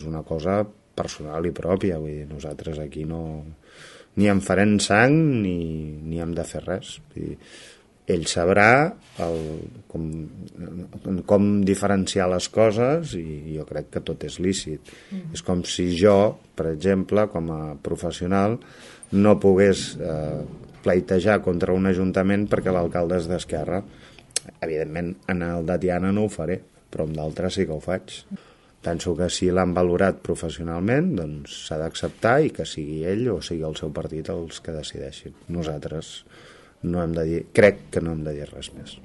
una cosa personal i pròpia, vull dir, nosaltres aquí no ni en farem sang ni hem de fer res. Vull dir, ell sabrà com diferenciar les coses i jo crec que tot és lícit. És com si jo, per exemple, com a professional, no pogués pleitejar contra un ajuntament perquè l'alcalde és d'Esquerra. Evidentment, en el de Tiana no ho faré, però amb d'altres sí que ho faig. Penso que si l'han valorat professionalment, doncs s'ha d'acceptar i que sigui ell o sigui el seu partit els que decideixin. Nosaltres no hem de dir, crec que no hem de dir res més.